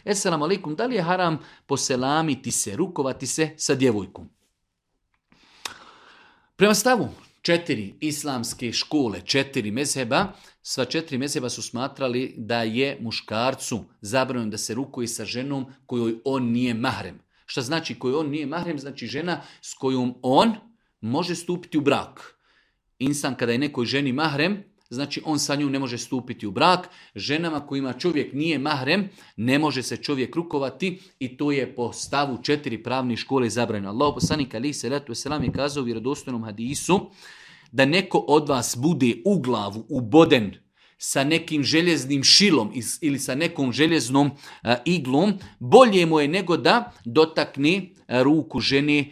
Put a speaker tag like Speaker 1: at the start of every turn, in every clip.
Speaker 1: Esselamu alaikum, da li je haram poselamiti se, rukovati se sa djevojkom? Prema stavu 4 islamske škole, 4 mezheba, sva 4 mezheba su smatrali da je muškarcu zabranjeno da se rukuje sa ženom kojoj on nije mahrem. Šta znači kojoj on nije mahrem? Znači žena s kojom on može stupiti u brak. Insan kada je nekoj ženi mahrem, znači on sa njom ne može stupiti u brak. Ženama kojima čovjek nije mahrem, ne može se čovjek rukovati i to je po stavu 4 pravne škole zabranjeno. Allah poslanik alejhi selatu vesselam je kazao u vjerodostojnom hadisu da neko od vas bude u glavu uboden sa nekim željeznim šilom ili sa nekom željeznom iglom, bolje mu je nego da dotakne ruku žene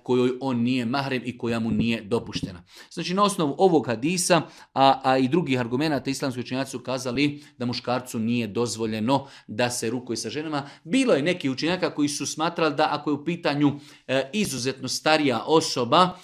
Speaker 1: kojoj on nije mahrem i koja mu nije dopuštena. Znači na osnovu ovog hadisa, a i drugih argumenata islamski učenjaci su kazali da muškarcu nije dozvoljeno da se rukuje sa ženama. Bilo je neki učenjaka koji su smatrali da ako je u pitanju izuzetno starija osoba,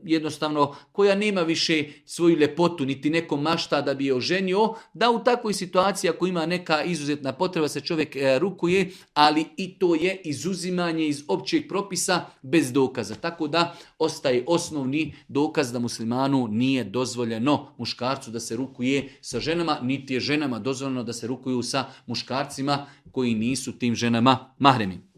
Speaker 1: jednostavno koja nema više svoju ljepotu, niti neko mašta da bi je oženio, da u takvoj situaciji ako ima neka izuzetna potreba se čovjek rukuje, ali i to je izuzimanje iz općeg propisa bez dokaza. Tako da ostaje osnovni dokaz da muslimanu nije dozvoljeno muškarcu da se rukuje sa ženama, niti je ženama dozvoljeno da se rukuju sa muškarcima koji nisu tim ženama mahremi.